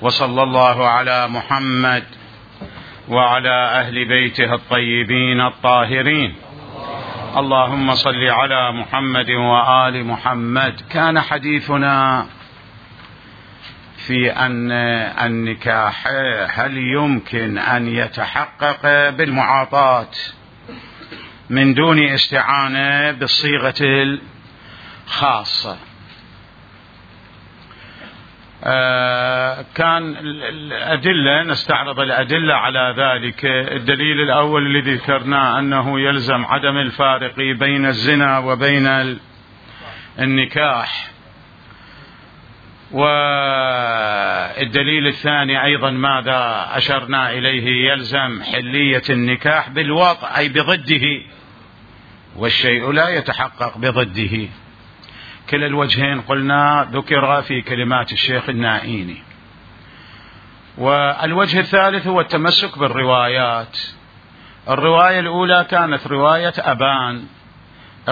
وصلى الله على محمد وعلى أهل بيته الطيبين الطاهرين. اللهم صل على محمد وآل محمد. كان حديثنا في أن النكاح هل يمكن أن يتحقق بالمعاطاة من دون استعانة بالصيغة الخاصة. كان الأدلة، نستعرض الأدلة على ذلك. الدليل الأول الذي ذكرناه أنه يلزم عدم الفارق بين الزنا وبين النكاح، والدليل الثاني أيضا ماذا أشرنا إليه؟ يلزم حلية النكاح بالوطء أي بضده، والشيء لا يتحقق بضده. كلا الوجهين قلنا ذكر في كلمات الشيخ النائيني. والوجه الثالث هو التمسك بالروايات. الرواية الأولى كانت رواية أبان،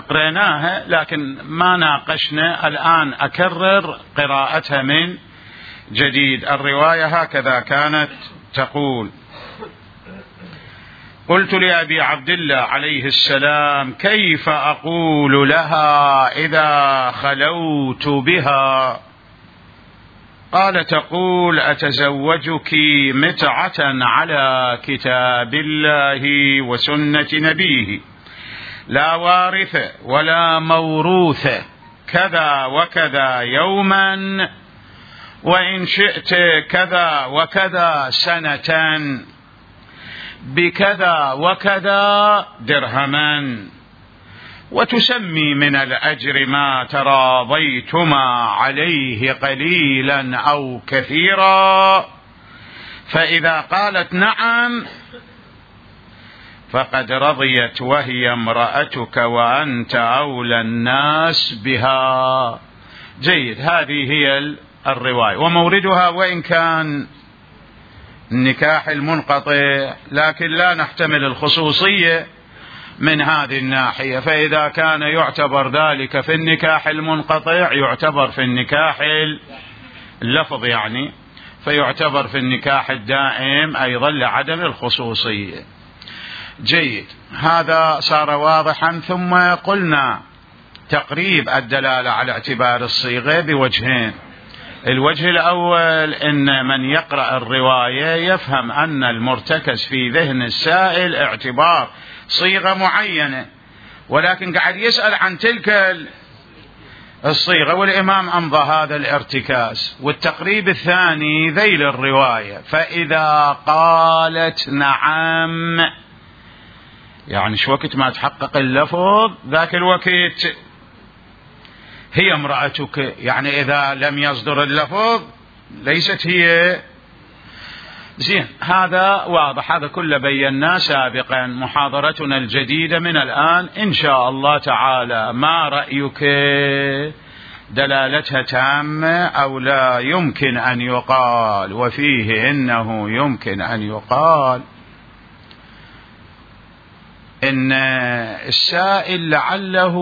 قرأناها لكن ما ناقشنا، الآن أكرر قراءتها من جديد. الرواية هكذا كانت تقول: قلت لأبي عبد الله عليه السلام: كيف أقول لها إذا خلوت بها؟ قال: تقول: أتزوجك متعة على كتاب الله وسنة نبيه، لا وارث ولا موروث، كذا وكذا يوما، وإن شئت كذا وكذا سنة، بكذا وكذا درهما، وتسمي من الأجر ما تراضيتما عليه قليلا أو كثيرا، فإذا قالت نعم فقد رضيت وهي امرأتك وأنت أولى الناس بها. جيد، هذه هي الرواية وموردها، وإن كان النكاح المنقطع لكن لا نحتمل الخصوصية من هذه الناحية، فإذا كان يعتبر ذلك في النكاح المنقطع يعتبر في النكاح اللفظ، يعني فيعتبر في النكاح الدائم أيضا لعدم الخصوصية. جيد، هذا صار واضحا. ثم قلنا تقريب الدلالة على اعتبار الصيغة بوجهين. الوجه الأول أن من يقرأ الرواية يفهم أن المرتكز في ذهن السائل اعتبار صيغة معينة، ولكن قاعد يسأل عن تلك الصيغة، والإمام أمضى هذا الارتكاز. والتقريب الثاني ذيل الرواية: فإذا قالت نعم، يعني شو وقت ما تحقق اللفظ ذاك الوقت هي امرأتك، يعني إذا لم يصدر اللفظ ليست هي. زين، هذا واضح، هذا كله بيناه سابقا. محاضرتنا الجديدة من الآن إن شاء الله تعالى: ما رأيك؟ دلالتها تامة أو لا يمكن أن يقال؟ وفيه إنه يمكن أن يقال إن السائل لعله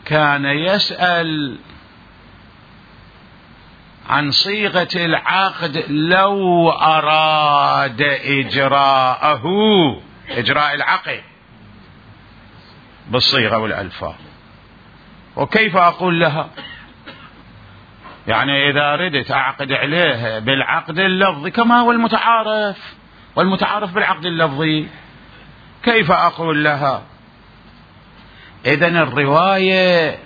كان يسأل عن صيغة العقد لو أراد إجراء العقد بالصيغة والألفاظ. وكيف أقول لها؟ يعني إذا ردت أعقد عليها بالعقد اللفظي كما هو والمتعارف بالعقد اللفظي، كيف أقول لها؟ إذن الرواية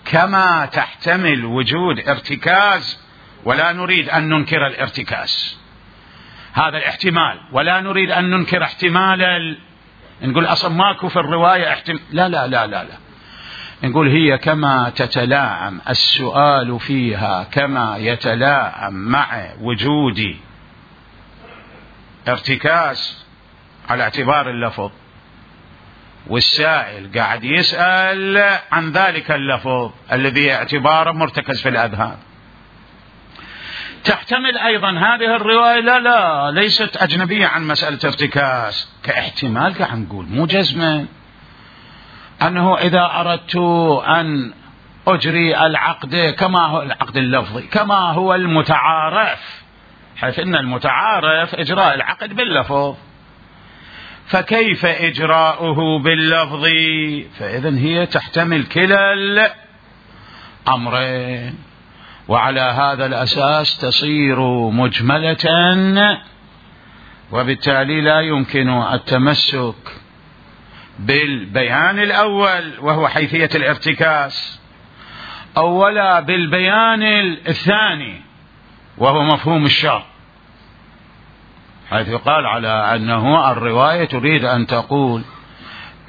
كما تحتمل وجود ارتكاز، ولا نريد أن ننكر الارتكاز، هذا الاحتمال، ولا نريد أن ننكر احتمال نقول أصلا ماكو في الرواية لا لا لا لا لا، نقول هي كما تتلاعم السؤال فيها كما يتلاعم مع وجود ارتكاز على اعتبار اللفظ، والسائل قاعد يسأل عن ذلك اللفظ الذي اعتباره مرتكز في الأذهان. تحتمل أيضا هذه الرواية لا ليست أجنبية عن مسألة ارتكاز، كاحتمال قاعد نقول مو جزما، أنه إذا أردت أن أجري العقد كما هو العقد اللفظي كما هو المتعارف، حيث أن المتعارف إجراء العقد باللفظ، فكيف إجراؤه باللفظ؟ فإذن هي تحتمل كلا الأمرين، وعلى هذا الأساس تصير مجملة، وبالتالي لا يمكن التمسك بالبيان الأول وهو حيثية الارتكاز، أو ولا بالبيان الثاني وهو مفهوم الشرط، حيث يقال على أنه الرواية تريد أن تقول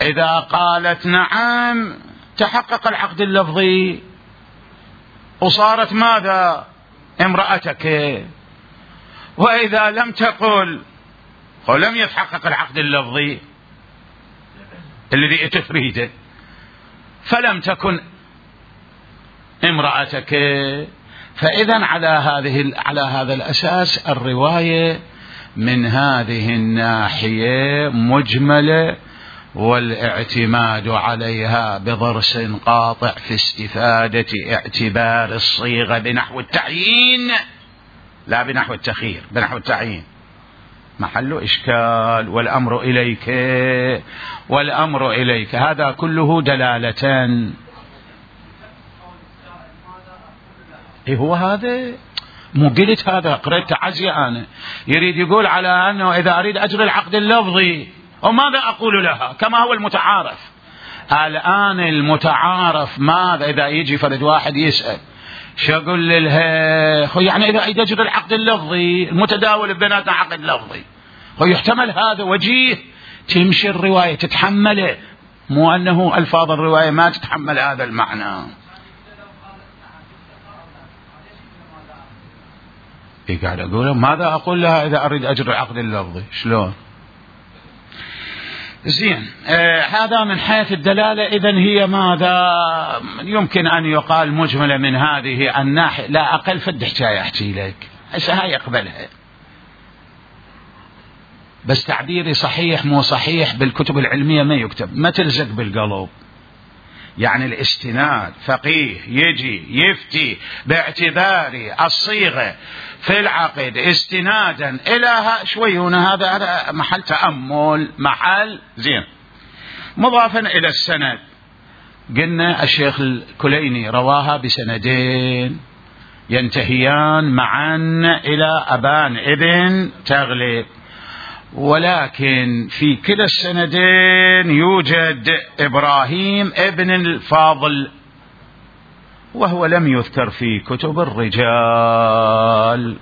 إذا قالت نعم تحقق العقد اللفظي وصارت ماذا؟ امرأتك، وإذا لم تقل ولم يتحقق العقد اللفظي الذي تريده فلم تكن امرأتك. فإذا على هذا الأساس الرواية من هذه الناحية مجملة، والاعتماد عليها بضرس قاطع في استفادة اعتبار الصيغة بنحو التعيين لا بنحو التخيير، بنحو التعيين محل إشكال. والأمر إليك هذا كله دلالتان. إيه هو هذا؟ مو قلت هذا قرأت تعزية أنا، يريد يقول على أنه إذا أريد أجري العقد اللفظي وماذا أقول لها كما هو المتعارف. الآن المتعارف ماذا؟ إذا يجي فرد واحد يسأل شو أقول لها؟ يعني إذا أريد أجري العقد اللفظي المتداول بيناتنا عقد لفظي، يحتمل هذا وجيه تمشي الرواية تتحمله، مو أنه ألفاظ الرواية ما تتحمل هذا المعنى. قاعد أقول ماذا أقول لها إذا أريد أجري العقد اللفظي؟ شلون؟ زين، هذا من حيث الدلالة. إذن هي ماذا يمكن أن يقال مجملة من هذه الناحية، لا أقل فد حكاية أحكي لك هسه هاي يقبلها، بس تعبيري صحيح مو صحيح بالكتب العلمية ما يكتب، ما تلزق بالقلب. يعني الاستناد فقيه يجي يفتي باعتبار الصيغة في العقد استنادا إلى شوي هنا، هذا محل تأمل محل زين. مضافا إلى السند، قلنا الشيخ الكليني رواها بسندين ينتهيان معا إلى أبان ابن تغلب، ولكن في كلا السندين يوجد إبراهيم ابن الفاضل، وهو لم يذكر في كتب الرجال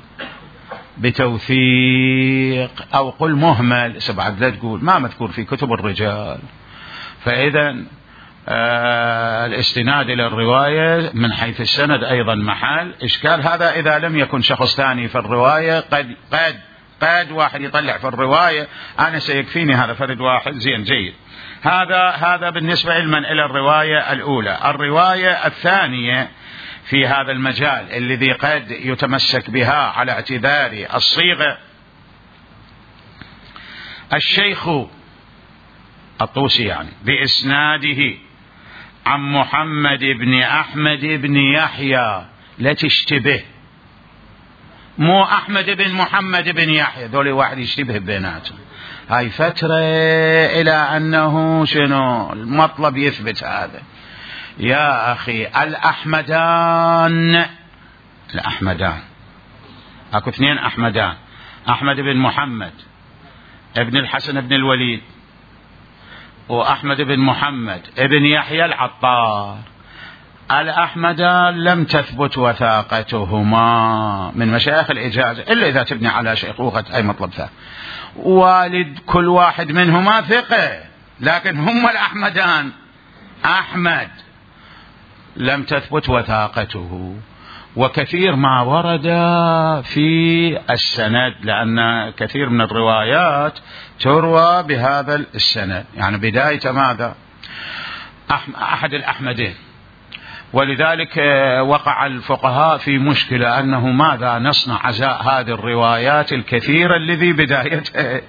بتوثيق، أو قل مهمل سبعد لا تقول ما مذكور في كتب الرجال. فإذا الاستناد إلى الرواية من حيث السند أيضا محل إشكال. هذا إذا لم يكن شخص ثاني في الرواية، قد واحد يطلع في الرواية أنا سيكفيني هذا فرد واحد، زين جيد. هذا بالنسبة علما إلى الرواية الأولى. الرواية الثانية في هذا المجال الذي قد يتمسك بها على اعتبار الصيغة، الشيخ الطوسي يعني بإسناده عن محمد بن أحمد بن يحيى، لا تشتبه، مو أحمد بن محمد بن يحيى، ذولي واحد يشتبه بيناتهم. هاي فترة إلى أنه شنو المطلب يثبت هذا. يا أخي الأحمدان أكو اثنين أحمدان، أحمد بن محمد ابن الحسن بن الوليد، وأحمد بن محمد ابن يحيى العطار. الأحمدان لم تثبت وثاقتهما من مشايخ الإجازة إلا إذا تبني على شيخوخة أي مطلب ثاني. والد كل واحد منهما ثقة، لكن هم الأحمدان أحمد لم تثبت وثاقته. وكثير ما ورد في السند، لأن كثير من الروايات تروى بهذا السند، يعني بداية ماذا أحد الأحمدين. ولذلك وقع الفقهاء في مشكلة أنه ماذا نصنع عزاء هذه الروايات الكثيرة الذي بدايتها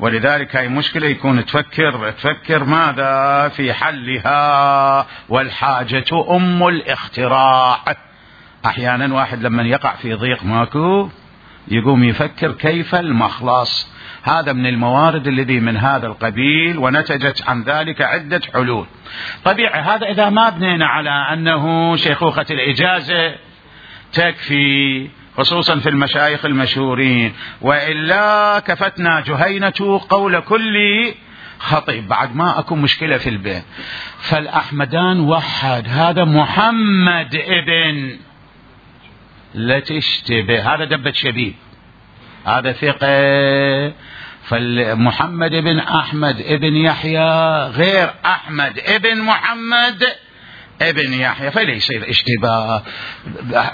ولذلك هاي مشكلة يكون تفكر ماذا في حلها، والحاجة أم الاختراع. أحيانا واحد لما يقع في ضيق ماكو يقوم يفكر كيف المخلص. هذا من الموارد الذي من هذا القبيل، ونتجت عن ذلك عدة حلول. طبيعي هذا إذا ما بنينا على أنه شيخوخة الإجازة تكفي، خصوصا في المشايخ المشهورين، وإلا كفتنا جهينة قول كل خطيب، بعد ما أكو مشكلة في البيت. فالأحمدان وحد، هذا محمد ابن، لا تشتبه، هذا دبة شبيب، هذا ثقة. فالمحمد بن أحمد ابن يحيى غير أحمد ابن محمد ابن يحيى، فليس اشتباه.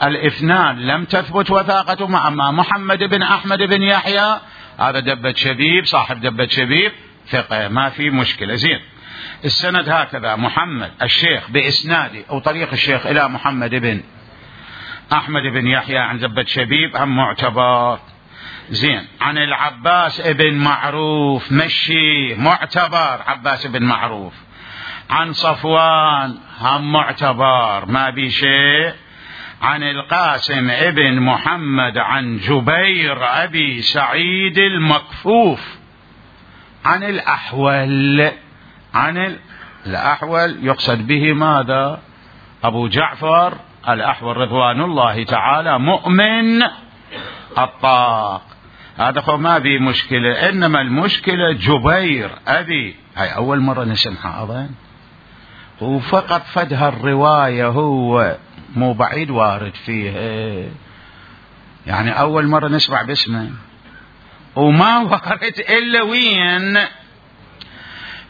الاثنان لم تثبت وثاقته، أما محمد بن أحمد بن يحيى هذا دبة شبيب، صاحب دبة شبيب، ثقة، ما في مشكلة. زين، السند هكذا: محمد الشيخ بإسناده أو طريق الشيخ إلى محمد بن أحمد بن يحيى عن دبة شبيب، هم معتبر. زين، عن العباس ابن معروف، مشي، معتبر، عباس بن معروف. عن صفوان، هم معتبر، ما بي شيء. عن القاسم ابن محمد عن جبير أبي سعيد المكفوف. عن الأحول، الأحول يقصد به ماذا؟ أبو جعفر الأحول رضوان الله تعالى مؤمن الطاق. هذا هو ما بي مشكلة، إنما المشكلة جبير أبي، هاي أول مرة نسمعها أظن، وفقط فدها الرواية، هو مو بعيد وارد فيها، يعني أول مرة نسمع باسمه، وما وارد إلا وين،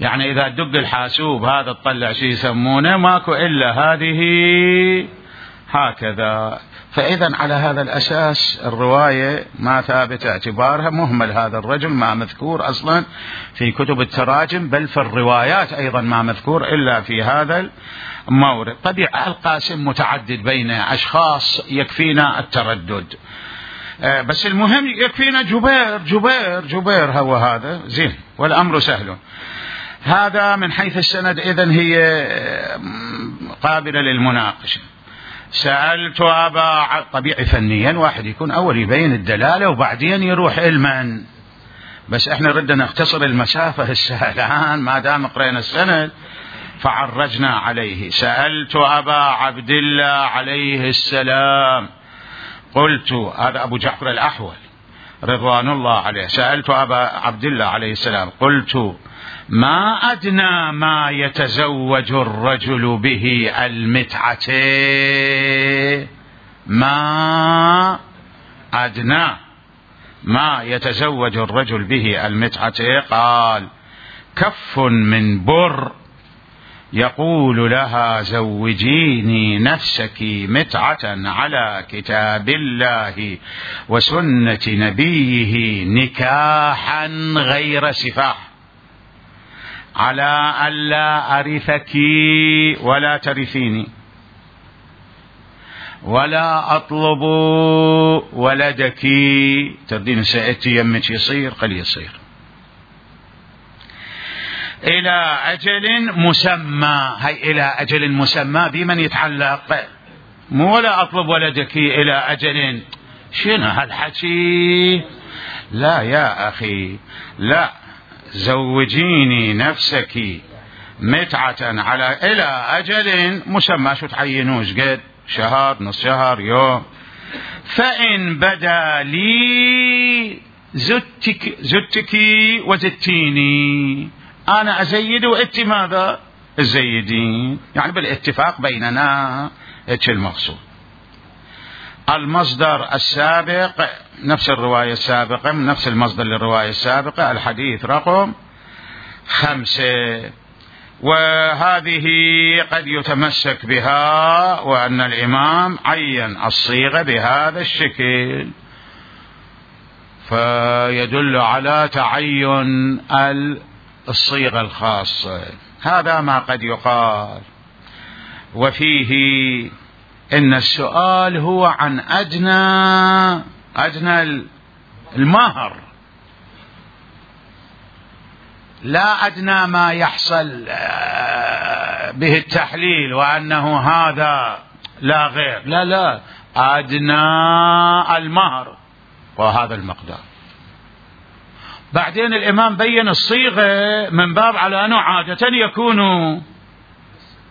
يعني إذا دق الحاسوب هذا تطلع شيء يسمونه، ماكو إلا هذه هكذا. فإذا على هذا الأساس الرواية ما ثابت اعتبارها، مهمل هذا الرجل، ما مذكور أصلا في كتب التراجم، بل في الروايات أيضا ما مذكور إلا في هذا المورد. طبيعة القاسم متعدد بين أشخاص، يكفينا التردد، بس المهم يكفينا جبير هو هذا. زين، والأمر سهل. هذا من حيث السند، إذن هي قابلة للمناقشة. سألت أبا، طبيعي فنيا واحد يكون أول يبين الدلالة وبعدين يروح علما، بس احنا ردنا نختصر المسافة السهلان ما دام قرينا السند فعرجنا عليه. سألت أبا عبد الله عليه السلام، قلت، هذا أبو جعفر الأحول رضوان الله عليه، سألت أبا عبد الله عليه السلام قلت: ما أدنى ما يتزوج الرجل به المتعة؟ ما أدنى ما يتزوج الرجل به المتعة؟ قال: كف من بر يقول لها زوجيني نفسك متعة على كتاب الله وسنة نبيه نكاحا غير سفاح، على ألا أرثك ولا ترثيني، ولا أطلب ولدك. تردين سأتي يمك يصير قل يصير، إلى أجل مسمى. هي إلى أجل مسمى بمن يتعلق، مو ولا أطلب ولدك إلى أجل. شنو هالحكي؟ لا يا أخي، لا، زوجيني نفسك متعة على إلى أجل مسمى، شو تعينوش قد شهر، نص شهر، يوم. فإن بدا لي زدتك وزدتيني، أنا أزيد وإنت ماذا الزيدين، يعني بالاتفاق بيننا. إيش المقصود؟ المصدر السابق نفس الرواية السابقة، من نفس المصدر للرواية السابقة، الحديث رقم 5. وهذه قد يتمسك بها، وأن الإمام عين الصيغة بهذا الشكل، فيدل على تعين الصيغة الخاصة. هذا ما قد يقال. وفيه إن السؤال هو عن أدنى المهر، لا أدنى ما يحصل به التحليل وأنه هذا لا غير، لا أدنى المهر وهذا المقدار. بعدين الإمام بين الصيغة من باب على أنه عادة يكون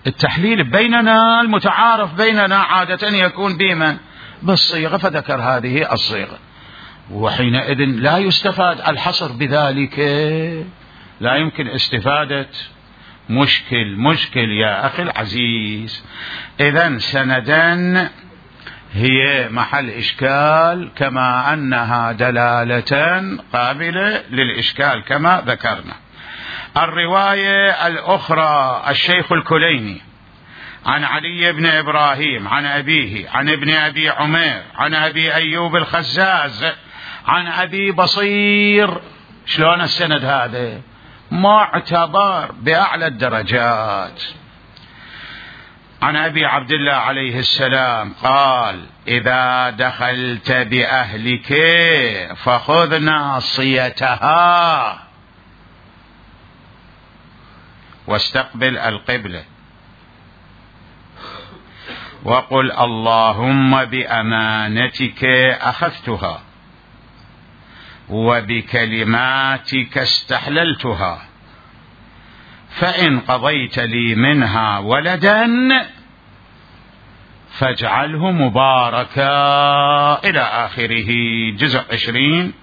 التحليل بيننا المتعارف بيننا عادة يكون بمن؟ بالصيغة، فذكر هذه الصيغة. وحينئذ لا يستفاد الحصر بذلك، لا يمكن استفادة مشكل يا أخي العزيز. إذن سندا هي محل إشكال كما أنها دلالة قابلة للإشكال كما ذكرنا. الرواية الأخرى الشيخ الكليني عن علي بن إبراهيم عن أبيه عن ابن أبي عمير عن أبي أيوب الخزاز عن أبي بصير. شلون السند هذا؟ معتبر بأعلى الدرجات. عن أبي عبد الله عليه السلام قال: إذا دخلت بأهلك فخذ ناصيتها واستقبل القبلة وقل اللهم بأمانتك أخذتها وبكلماتك استحللتها، فإن قضيت لي منها ولدا فاجعله مباركا إلى آخره. جزء 20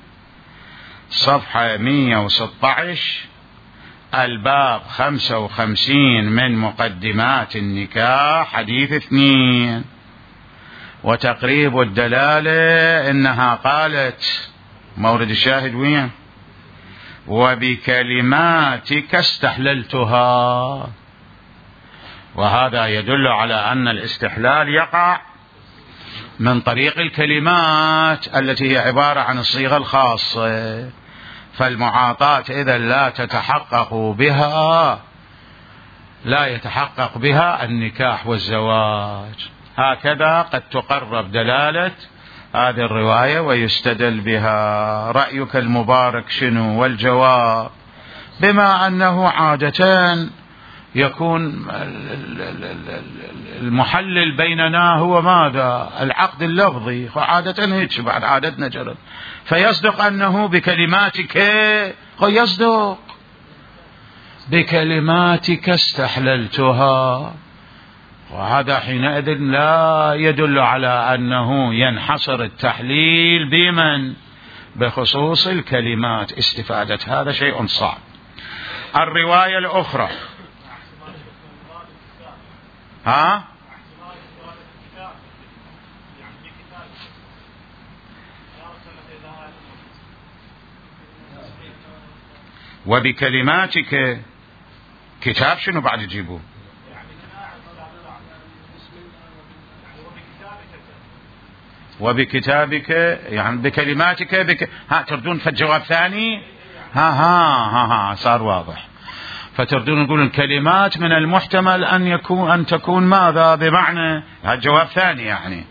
صفحة 116 الباب 55 من مقدمات النكاح حديث 2. وتقريب الدلالة إنها قالت مورد الشاهد وين؟ وبكلماتك استحللتها. وهذا يدل على أن الاستحلال يقع من طريق الكلمات التي هي عبارة عن الصيغة الخاصة، فالمعاطاة إذا لا يتحقق بها النكاح والزواج. هكذا قد تقرب دلالة هذه الرواية ويستدل بها. رأيك المبارك شنو؟ والجواب بما أنه عادة يكون المحلل بيننا هو ماذا؟ العقد اللفظي، وعادة هيك بعد عادتنا جرد، فيصدق أنه بكلماتك، يصدق بكلماتك استحللتها. وهذا حينئذ لا يدل على أنه ينحصر التحليل بمن؟ بخصوص الكلمات. استفادة هذا شيء صعب. الرواية الأخرى وبكلماتك كتاب شنو بعد يجيبوه؟ وبكتابك يعني بكلماتك تردون فالجواب ثاني؟ صار واضح. فتردون نقول الكلمات من المحتمل أن تكون ماذا؟ بمعنى الجواب ثاني يعني.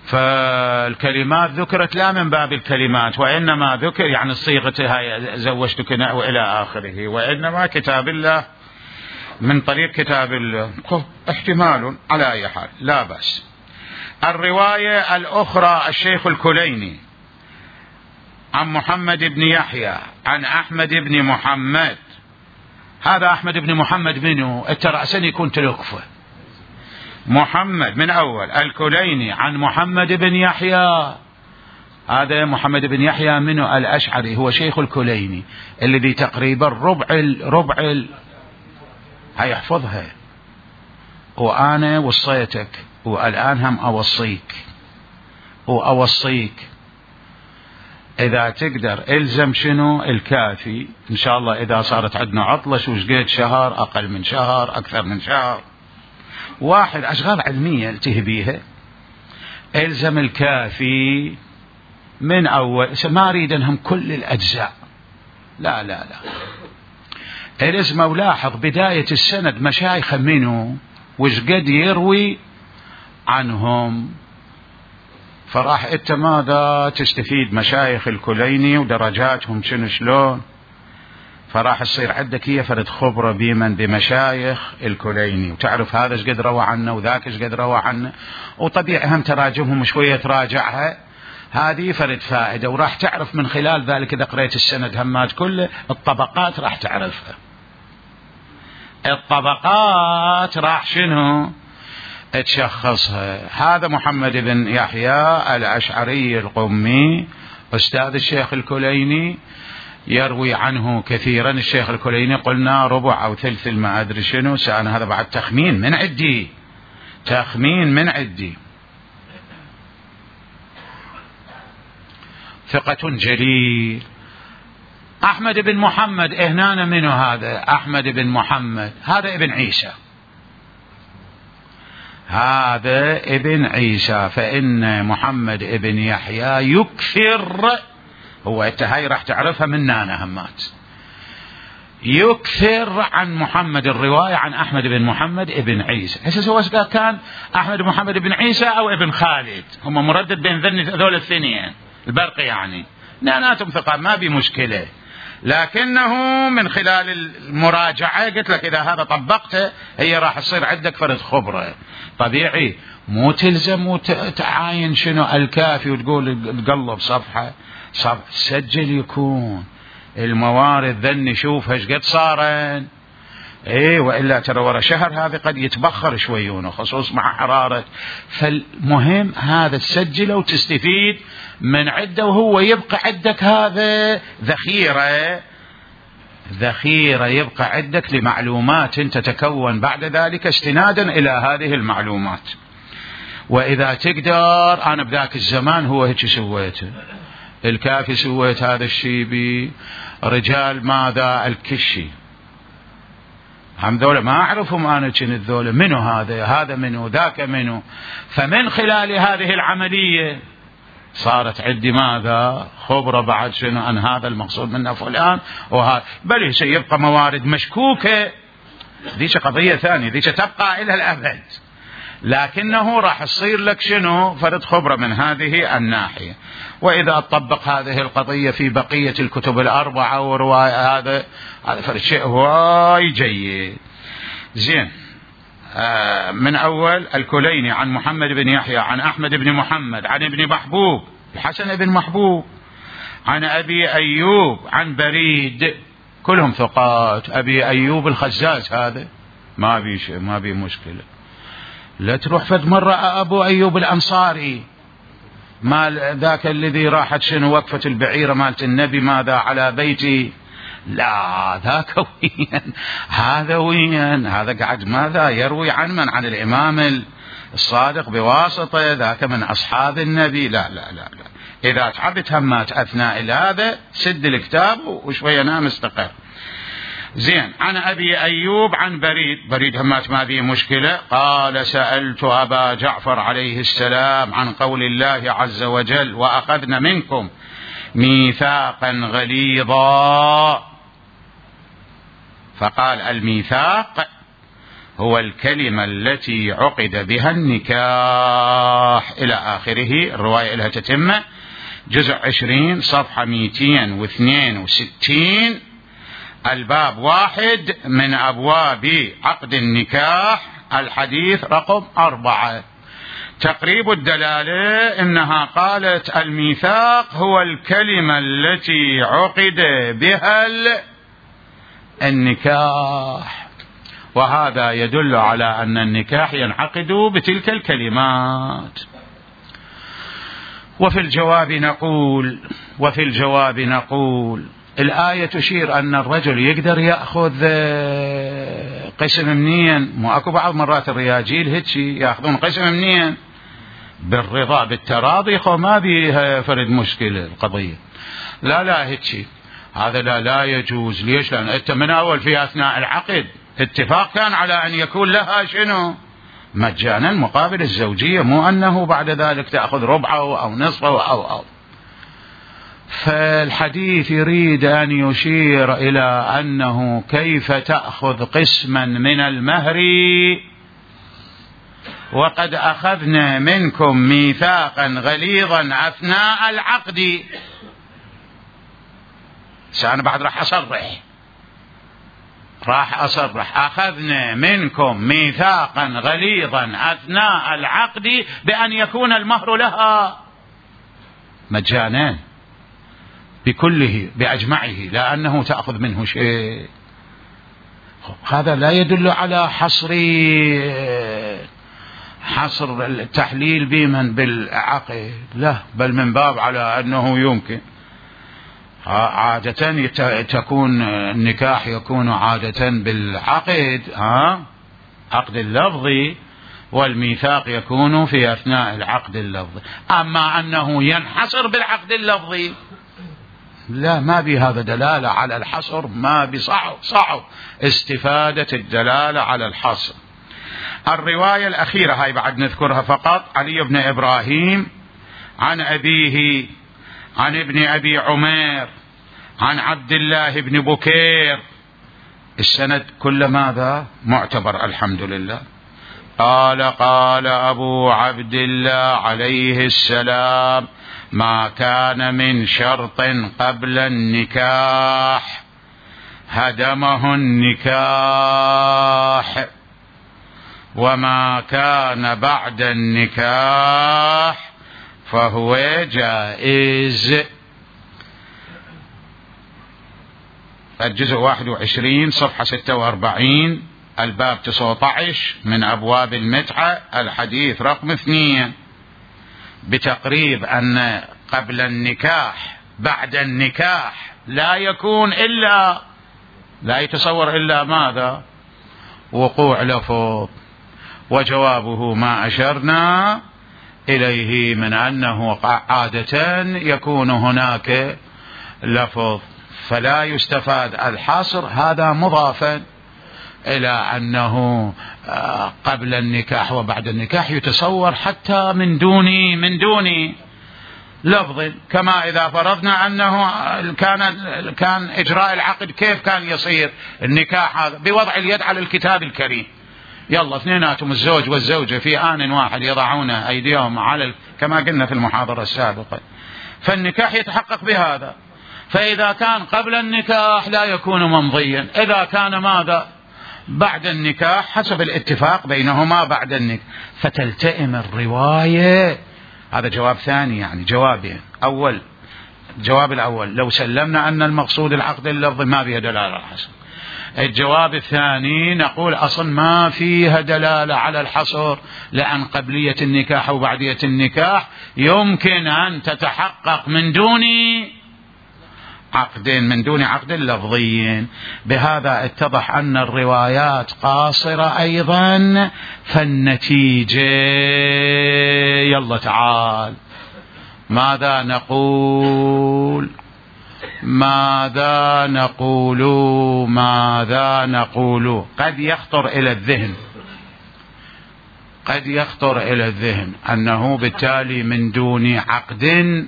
فالكلمات ذكرت لا من باب الكلمات، وإنما ذكر يعني صيغتها زوجتك وإلى آخره، وإنما كتاب الله من طريق كتاب الله. احتمال على أي حال لا بأس. الرواية الأخرى الشيخ الكليني عن محمد بن يحيى عن أحمد بن محمد. هذا أحمد بن محمد منه؟ الترأسن يكون تلقفه محمد من أول. الكليني عن محمد بن يحيى، هذا محمد بن يحيى منه؟ الأشعري، هو شيخ الكليني الذي تقريبا ربع هيحفظها. وأنا وصيتك والآن هم أوصيك إذا تقدر إلزم شنو؟ الكافي إن شاء الله. إذا صارت عندنا عطلة شوش قد شهر، أقل من شهر، أكثر من شهر، واحد أشغال علمية التهي بيها، إلزم الكافي من أول. ما أريد أنهم كل الأجزاء، لا إلزم. ولاحظ بداية السند مشايخ منه وش قد يروي عنهم، فراح انت ماذا تستفيد؟ مشايخ الكليني ودرجاتهم شنو شلون. فراح تصير عندك هي فرد خبرة بمشايخ الكليني، وتعرف هذا ايش قد روى عنه وذاك ايش قد روى عنه، وطبيعي هم تراجمهم شوية تراجعها، هذه فرد فائدة. وراح تعرف من خلال ذلك إذا قريت السند همات كله الطبقات راح تعرفها، الطبقات راح شنو تشخصها. هذا محمد بن يحيى الأشعري القمي أستاذ الشيخ الكليني، يروي عنه كثيرا. الشيخ الكليني قلنا ربع أو ثلث ما أدري شنو، سأنا هذا بعد تخمين من عدي، تخمين من عدي. ثقة جليل. أحمد بن محمد هنا منه هذا؟ أحمد بن محمد هذا ابن عيسى، هذا ابن عيسى. فإن محمد ابن يحيى يكثر، هو انت هاي راح تعرفها من نانا همات، يكثر عن محمد الرواية عن أحمد بن محمد ابن عيسى. هسه سواء كان أحمد بن محمد بن عيسى أو ابن خالد، هم مردد بين ذول الاثنين البرق، يعني ناناتهم ثقة ما بمشكلة، لكنه من خلال المراجعة قلت لك إذا هذا طبقته هي راح تصير عندك فرد خبرة. طبيعي مو تلزم وتعاين شنو الكافي وتقول تقلب صفحة، سجل يكون الموارد ذن شوفها ايش قد صارن، وإلا ترى ورا شهر هذا قد يتبخر شويونه خصوص مع حرارة. فالمهم هذا تسجله وتستفيد من عده، وهو يبقى عندك هذا ذخيرة يبقى عندك لمعلومات تتكون بعد ذلك استنادا إلى هذه المعلومات. وإذا تقدر، أنا بذاك الزمان هو هيك سويته، الكافي سويت هذا الشيء برجال ماذا الكشي، هم ذولا ما أعرفهم أنا كنت ذولا منو هذا منو ذاك منو. فمن خلال هذه العملية صارت عندي ماذا خبرة بعد شنو أن هذا المقصود منه فلان وهذا، بل سيبقى موارد مشكوكة، ذيك قضية ثانية، ذيك تبقى إلى الأبد، لكنه راح يصير لك شنو فرد خبرة من هذه الناحية. وإذا أطبق هذه القضية في بقية الكتب الأربعة ورواية هذا فرد شيء واي جيد. زين، من أول الكليني عن محمد بن يحيى عن أحمد بن محمد عن ابن محبوب الحسن بن محبوب عن أبي أيوب عن بريد، كلهم ثقات. أبي أيوب الخزاز هذا ما بي مشكلة. لا تروح فد مرة أبو أيوب الأنصاري مال ذاك الذي راحت شنو وقفة البعيرة مالت النبي ماذا على بيتي، لا ذاك وين هذا، وين هذا قاعد ماذا يروي عن من؟ عن الإمام الصادق بواسطة، ذاك من أصحاب النبي. لا لا لا لا، إذا تعبت همات أثناء هذا سد الكتاب وشوية نام استقر. زين، عن أبي أيوب عن بريد همات ما فيه مشكلة. قال سألت أبا جعفر عليه السلام عن قول الله عز وجل وأخذنا منكم ميثاقا غليظا، فقال الميثاق هو الكلمة التي عقد بها النكاح إلى آخره. الرواية لها تتمة، جزء 20 صفحة 262، الباب 1 من أبواب عقد النكاح، الحديث رقم 4. تقريب الدلالة إنها قالت الميثاق هو الكلمة التي عقد بها النكاح، وهذا يدل على أن النكاح ينعقد بتلك الكلمات. وفي الجواب نقول الآية تشير أن الرجل يقدر يأخذ قسم منين، مو أكو بعض مرات الرياجيل هيك يأخذون قسم منين بالرضا بالتراضي، ما بيها فرد مشكلة القضية. لا هيك هذا لا يجوز. ليش؟ لأن أنت من أول في أثناء العقد اتفاق كان على أن يكون لها شنو مجانا مقابل الزوجية، مو أنه بعد ذلك تأخذ ربعه أو نصفه أو. فالحديث يريد أن يشير إلى أنه كيف تأخذ قسما من المهر وقد أخذنا منكم ميثاقا غليظا أثناء العقد. أنا بعد راح أصرح راح أصرح أخذنا منكم ميثاقا غليظا أثناء العقد بأن يكون المهر لها مجانا بكله بأجمعه، لأنه تأخذ منه شيء. هذا لا يدل على حصر التحليل بمن بالعقد، لا، بل من باب على أنه يمكن. عادة تكون النكاح يكون عادة بالعقد، عقد اللفظي، والميثاق يكون في أثناء العقد اللفظي. أما أنه ينحصر بالعقد اللفظي لا، ما بهذا دلالة على الحصر، ما بصعب استفادة الدلالة على الحصر. الرواية الأخيرة هاي بعد نذكرها فقط، علي بن إبراهيم عن أبيه عن ابن أبي عمير عن عبد الله بن بكير، السند كل ماذا معتبر الحمد لله. قال قال أبو عبد الله عليه السلام: ما كان من شرط قبل النكاح هدمه النكاح، وما كان بعد النكاح فهو جائز. الجزء 21 صفحة 46 الباب 19 من أبواب المتعة، الحديث رقم 2، بتقريب أن قبل النكاح بعد النكاح لا يكون إلا، لا يتصور إلا ماذا؟ وقوع لفظ. وجوابه ما أشرنا إليه من أنه عادة يكون هناك لفظ، فلا يستفاد الحصر هذا مضافا إلى أنه قبل النكاح وبعد النكاح يتصور حتى من دون لفظ. كما إذا فرضنا أنه كان إجراء العقد كيف كان يصير النكاح هذا؟ بوضع اليد على الكتاب الكريم، يلا اثنيناتهم الزوج والزوجة في آن واحد يضعون أيديهم على كما قلنا في المحاضرة السابقة، فالنكاح يتحقق بهذا. فإذا كان قبل النكاح لا يكون ممضيا، إذا كان ماذا؟ بعد النكاح حسب الاتفاق بينهما بعد النكاح، فتلتئم الرواية. هذا جواب ثاني، يعني جوابين. الجواب الأول لو سلمنا أن المقصود العقد اللفظي ما فيها دلالة على الحصر. الجواب الثاني نقول أصلا ما فيها دلالة على الحصر، لأن قبلية النكاح وبعدية النكاح يمكن أن تتحقق من دون عقد لفظي. بهذا اتضح أن الروايات قاصرة أيضا، فالنتيجة يلا تعال ماذا نقول؟ قد يخطر إلى الذهن أنه بالتالي من دون عقد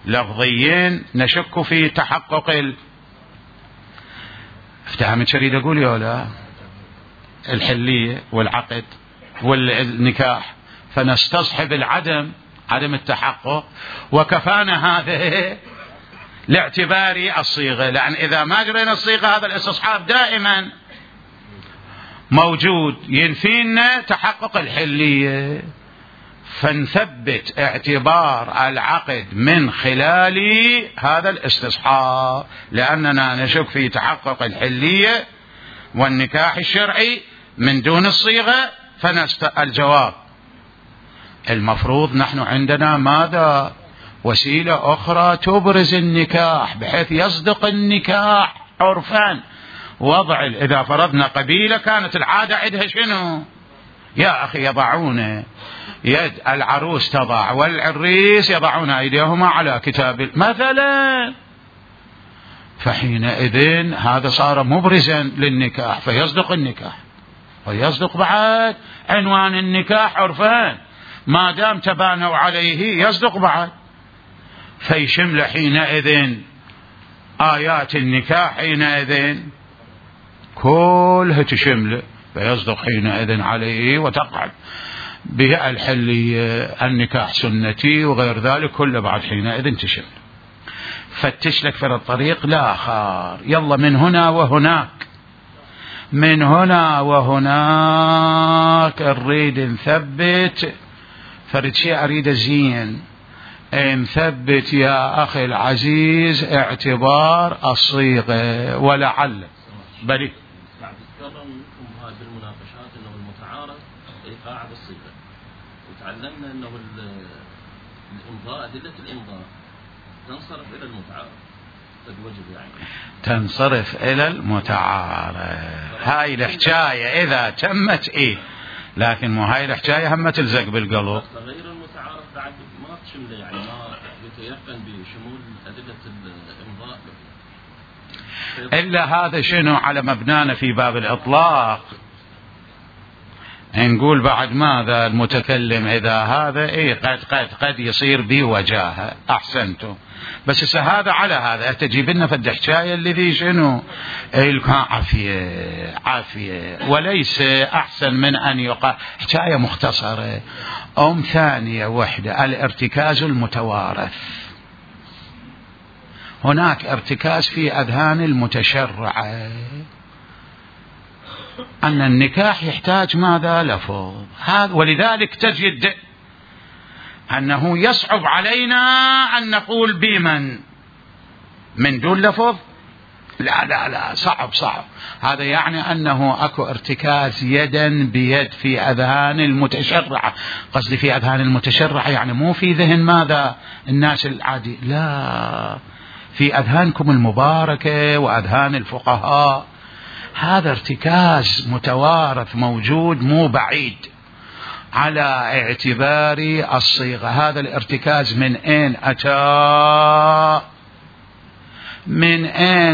لفظيين نشك في تحقق افتهمت شريد أقول يا لا الحلية والعقد والنكاح، فنستصحب عدم التحقق، وكفانا هذا لاعتبار الصيغة، لأن إذا ما جرينا الصيغة هذا الاستصحاب دائما موجود ينفينا تحقق الحلية، فنثبت اعتبار العقد من خلال هذا الاستصحاب، لأننا نشك في تحقق الحلية والنكاح الشرعي من دون الصيغة. الجواب المفروض نحن عندنا ماذا؟ وسيلة أخرى تبرز النكاح بحيث يصدق النكاح عرفا. إذا فرضنا قبيلة كانت العادة عندها شنو؟ يا أخي يضعون يد العروس تضع والعريس يضعون أيديهما على كتاب مثلا، فحينئذ هذا صار مبرزا للنكاح، فيصدق النكاح ويصدق بعد عنوان النكاح عرفان، ما دام تبانوا عليه يصدق بعد، فيشمل حينئذ آيات النكاح حينئذ كلها تشمل، فيصدق حينئذ عليه وتقعد به الحلية، النكاح سنتي وغير ذلك كله بعد حينئذ تشمل. فتش لك في الطريق لا خار، يلا من هنا وهناك، من هنا وهناك نريد نثبت فرد شيء أريد زين، نثبت يا أخي العزيز اعتبار الصيغة ولعل بلي. بعد تكرر منكم هذه المناقشات انه المتعارف ايقاع بالصيغة، وتعلمنا انه الامضاء أدلة الامضاء تنصرف الى المتعارف، فالوجب يعني تنصرف الى المتعارف. هاي الحكاية اذا تمت لكن مو هاي الحكاية هم تلزق بالقلب. غير المتعارف بعد ما تشمله، يعني ما يتيقن بشمول أدلة الإمضاء إلا هذا شنو على مبنانا في باب الإطلاق. نقول بعد ماذا المتكلم إذا هذا قد يصير بوجاهه. أحسنتم. بس هذا على هذا تجيب لنا فد حكاية الذي شنو عافية وليس أحسن من أن يقال حكاية مختصرة. ثانية وحدة، الارتكاز المتوارث. هناك ارتكاز في أذهان المتشرعة أن النكاح يحتاج ماذا؟ لفظ. ولذلك تجد أنه يصعب علينا أن نقول بمن من دون لفظ. لا صعب. هذا يعني أنه أكو ارتكاز يدا بيد في أذهان المتشرعة. قصدي في أذهان المتشرعة يعني مو في ذهن ماذا الناس العادي، لا، في أذهانكم المباركة وأذهان الفقهاء. هذا ارتكاز متوارث موجود مو بعيد على اعتبار الصيغة. هذا الارتكاز من أين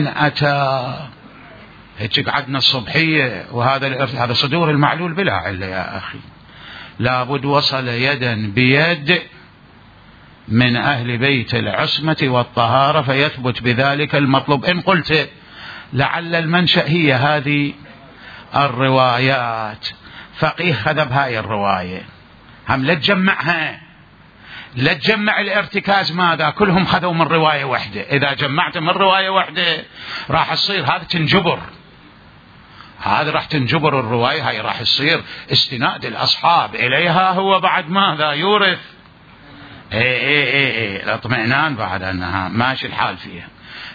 أتى؟ هيك قعدنا الصبحية وهذا صدور المعلول بلا علة يا أخي. لابد وصل يدا بيد من أهل بيت العصمة والطهارة فيثبت بذلك المطلوب. إن قلت لعل المنشأ هي هذه الروايات، فقيه خذ بهاي الرواية، هم لا تجمع الارتكاز ماذا؟ كلهم خذوا من رواية واحدة. إذا جمعت من رواية واحدة راح تصير هذا تنجبر، هذا راح تنجبر الرواية، هاي راح يصير استناد الأصحاب إليها هو بعد ماذا يورث الاطمئنان بعد أنها ماشي الحال فيها.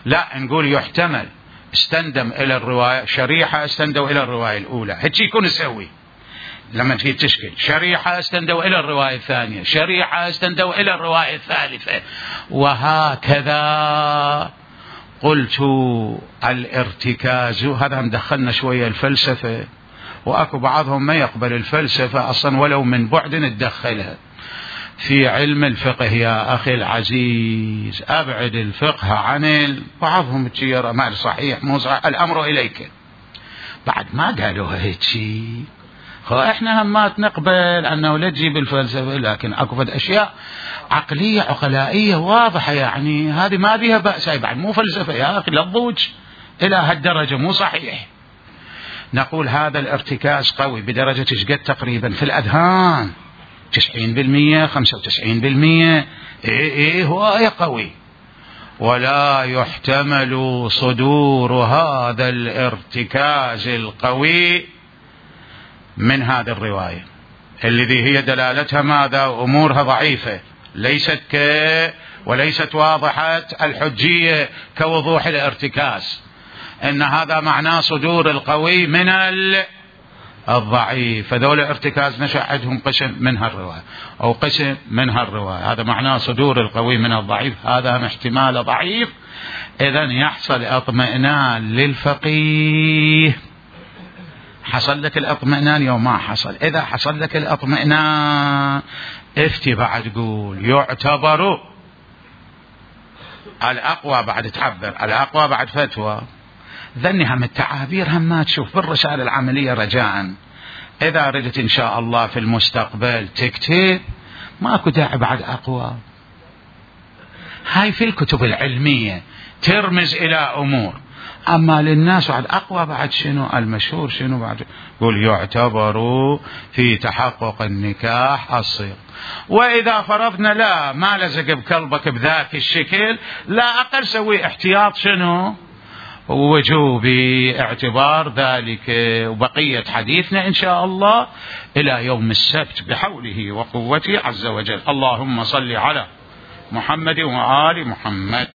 لا، نقول يحتمل استندم إلى الرواية شريحة استندوا إلى الرواية الأولى، هيك يكون يسوي لما تجي تشكل شريحة استندوا إلى الرواية الثانية، شريحة استندوا إلى الرواية الثالثة، وهكذا. قلت الارتكاز هذا مدخلنا شوية الفلسفة، وأكو بعضهم ما يقبل الفلسفة أصلا ولو من بعد ندخلها في علم الفقه. يا أخي العزيز أبعد الفقه عن بعضهم تشير ما صحيح مو صحيح، الأمر إليك. بعد ما قالوا هيك شيء احنا هم ما نقبل أنه لا تجيب الفلسفة، لكن أكو فد أشياء عقلية عقلائية واضحة، يعني هذه ما بها بأس. بعد مو فلسفة يا أخي، لا تضوج إلى هالدرجة، مو صحيح. نقول هذا الارتكاز قوي بدرجة تشقد تقريبا في الأذهان 90% 95%. هو قوي، ولا يحتمل صدور هذا الارتكاز القوي من هذه الرواية الذي هي دلالتها ماذا؟ أمورها ضعيفة، وليست واضحة الحجية كوضوح الارتكاز. إن هذا معناه صدور القوي من الضعيف، فذول ارتكاز نشأ عندهم قسم من هالرواية أو قسم من هالرواية، هذا معناه صدور القوي من الضعيف، هذا احتمال ضعيف. إذن يحصل اطمئنان للفقيه. حصل لك الاطمئنان يوم ما حصل؟ إذا حصل لك الاطمئنان افتي بعد قول يعتبر الأقوى، بعد تعبر الأقوى بعد فتوى. ذني هم التعابير هم ما تشوف بالرسالة العملية رجاء. إذا ردت إن شاء الله في المستقبل تكتب ماكو داعي بعد أقوى. هاي في الكتب العلمية ترمز إلى أمور، أما للناس بعد أقوى بعد شنو المشهور شنو بعد يقول يعتبر في تحقق النكاح الصيغ. وإذا فرضنا لا ما لزق بقلبك بذاك الشكل لا أقل سوي احتياط شنو وجوبي اعتبار ذلك. وبقية حديثنا إن شاء الله إلى يوم السبت بحوله وقوته عز وجل. اللهم صل على محمد وآل محمد.